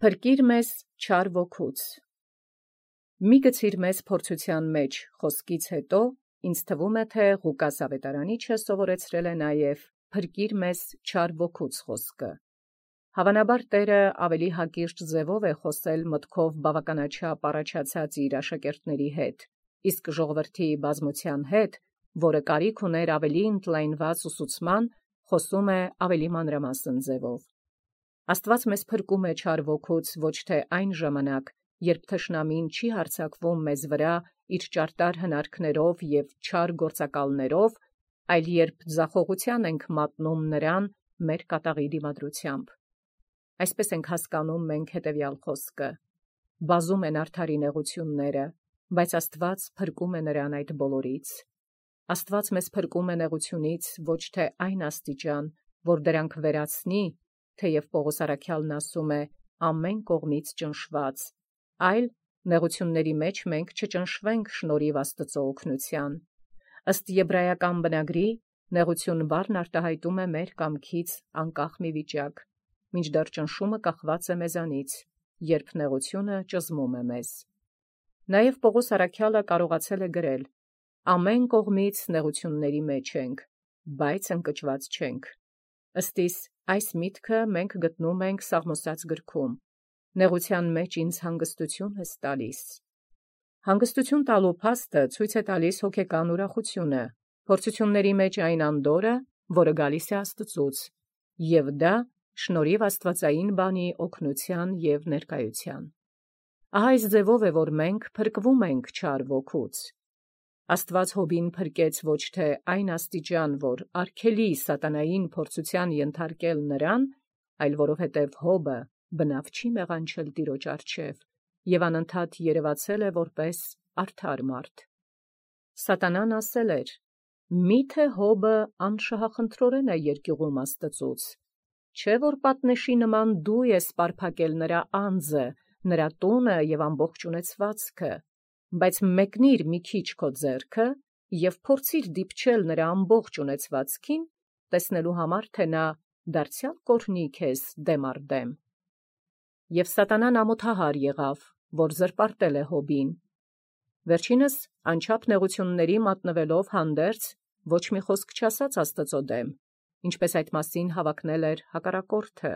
Փրկիր մեզ չար ոգուց։ Մի գցիր մեզ փորձության մեջ խոսքից հետո, ինձ թվում է, թե Ղուկաս ավետարանիչը սովորեցրել է նաև փրկիր մեզ չար ոգուց խոսքը։ Հավանաբար Տերը ավելի հակիրճ ձևով է խոսել մտքով բավականաչափ առաջացած իր աշակերտների հետ, իսկ ժողովրդի բազմության հետ, որը կարիք ուներ ավելի ընդլայնված ուսուցման, խոսում է ավելի մանրամասն ձևով։ Աստված մեզ փրկում է չար ոգուց ոչ թե այն ժամանակ, երբ թշնամին չի հարձակվում մեզ վրա իր ճարտար հնարքներով և չար գործակալներով, այլ երբ ձախողության ենք մատնում նրան մեր կատաղի դիմադրությամբ։ Այսպես ենք հասկանում մենք հետևյալ խոսքը. բազում են արդարի նեղությունները, բայց Աստված փրկում է նրան այդ բոլորից։ Աստված մեզ փրկում է նեղությունից ոչ թե այն աստիճան, որ դրանք վերացնի, թեև Պողոս առաքյալն ասում է ամեն կողմից ճնշված, այլ նեղությունների մեջ մենք չճնշվենք շնորհիվ Աստծո օգնության։ Ըստ եբրայական բնագրի, նեղություն բառն արտահայտում է մեր կամքից անկախ մի վիճակ, մինչդեռ ճնշումը կախված է մեզանից, երբ նեղությունը ճզմում է մեզ։ Նաև Պողոս առաքյալը կարողացել է գրել. ամեն կողմից նեղությունների մեջ ենք, բայց ընկճված չենք։ Ըստիս այս միտքը մենք գտնում ենք Սաղմոս գրքում. նեղության մեջ ինձ հանգստություն ես տալիս։ Հանգստություն տալու փաստը ցույց է տալիս հոգեկան ուրախությունը, փորձությունների մեջ այն անդորրը, որը գալիս է Աստծուց, և դա շնորհիվ աստվածային բանի օգնության և ներկայության։ Ահա այս ձևով է, որ մենք փրկվում ենք չար ոգուց։ Աստված Հոբին փրկեց ոչ թե այն աստիճան, որ արգելի սատանային փորձության ենթարկել նրան, այլ որովհետև Հոբը բնավ չի մեղանչել Տիրոջ առջև և անընդհատ երևացել է որպես արդար մարդ։ Սատանան ասել էր. «Մի՞թե Հոբը անշահախնդրորեն է երկյուղում Աստծուց, չէ՞ որ պատնեշի նման դու ես պարփակել նրա անձը, նրա տունը և ամբողջ ունեցվածքը, բայց մեկնիր մի քիչ քո ձեռքը և փորձիր դիպչել նրա ամբողջ ունեցվածքին, տեսնելու համար, թե նա դարձյալ կօրհնի քեզ դեմ առ դեմ»։ Եվ սատանան ամոթահար եղավ, որ զրպարտել է Հոբին։ Վերջինս անչափ նեղությունների մատնվելով հանդերձ ոչ մի խոսք չասաց Աստծո դեմ, ինչպես այդ մասին հավակնել էր հակառակորդը։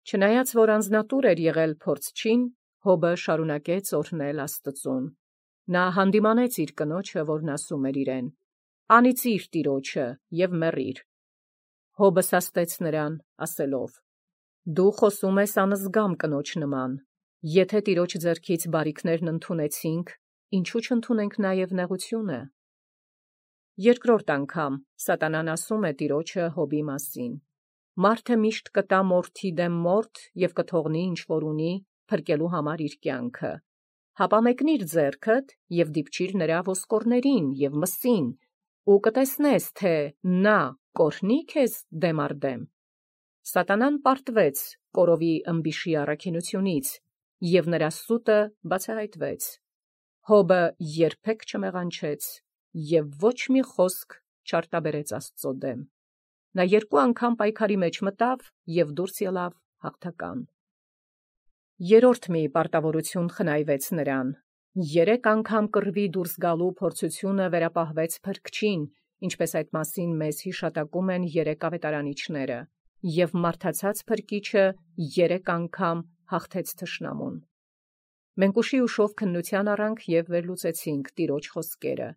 Չնայած որ անձնատուր էր եղել փորձչին, Հոբը շարունակեց օրհնել Աստծուն։ Նա հանդիմանեց իր կնոջը, որն ասում էր իրեն. «Անիծիր Տիրոջը և մեռիր»։ Հոբը սաստեց նրան, ասելով. «Դու խոսում ես անզգամ կնոջ նման. եթե Տիրոջ ձեռքից բարիքներն ընդունեցինք, ինչու չընդունենք նաև նեղությունը»։ Երկրորդ անգամ սատանան ասում է Տիրոջը Հոբի մասին. «Մարդը միշտ կտա մորթի դեմ մորթ և կթողնի ինչ որ ունի, փրկելու համար իր կյանքը։ Հապա մեկնիր ձեռքդ և դիպչիր նրա ոսկորներին և մսին, ու կտեսնես, թե նա կօրհնի քեզ դեմ առ դեմ»։ Սատանան պարտվեց կորովի ըմբիշի առաքինությունից, և նրա սուտը բացահայտվեց։ Հոբը երբեք չմեղանչեց և ոչ մի խոսք չարտաբերեց Աստծո դեմ։ Նա երկու անգամ պայքարի մեջ մտավ և դուրս ելավ հաղթական։ Երրորդ մի պարտավորություն խնայվեց նրան. 3 անգամ կռվի դուրս գալու փորձությունը վերապահվեց Փրկչին, ինչպես այդ մասին մեզ հիշատակում են 3 ավետարանիչները, և մարդացած Փրկիչը 3 անգամ հաղթեց թշնամուն։ Մենք ուշի ուշով քննության առանք և վերլուծեցինք Տիրոջ խոսքերը,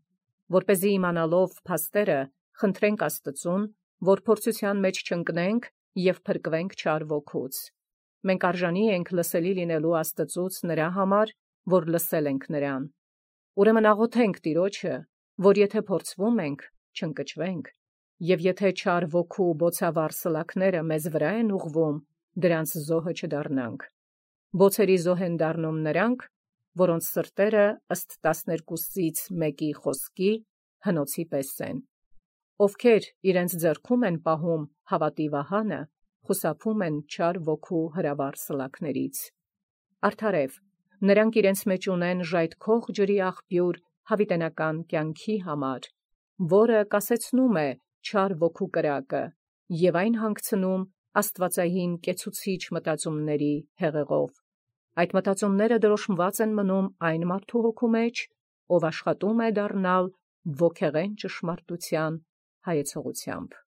որպեսզի իմանալով փաստերը խնդրենք Աստծուն, որ փորձության մեջ չընկնենք և փրկվենք չար ոգուց։ Մենք արժանի ենք լսելի լինելու Աստծուց նրա համար, որ լսել ենք նրան։ Ուրեմն աղոթենք Տիրոջը, որ եթե փորձվում ենք, չընկճվենք, և եթե չար ոգու բոցավառ սլաքները մեզ վրա են ուղղվում, դրանց զոհը չդառնանք։ Բոցերի զոհ են դառնում նրանք, որոնց սրտերը ըստ 12-ից 1-ի խոսքի հնոցի պես են, ովքեր իրենց ձեռքում են պահում հավատի վահանը, խուսափում են չար ոգու հրավառ սլաքներից։ Արդարև, նրանք իրենց մեջ ունեն ժայթքող ջրի աղբյուր հավիտենական կյանքի համար, որը կասեցնում է չար ոգու կրակը և այն հանգցնում աստվածային կեցուցիչ մտածումների հեղեղով։ Այդ մտածումները դրոշմված են մնում այն մարդու հոգու մեջ, ով աշխատում է դառնալ ոգեղեն ճշմարտության հայեցողությամբ։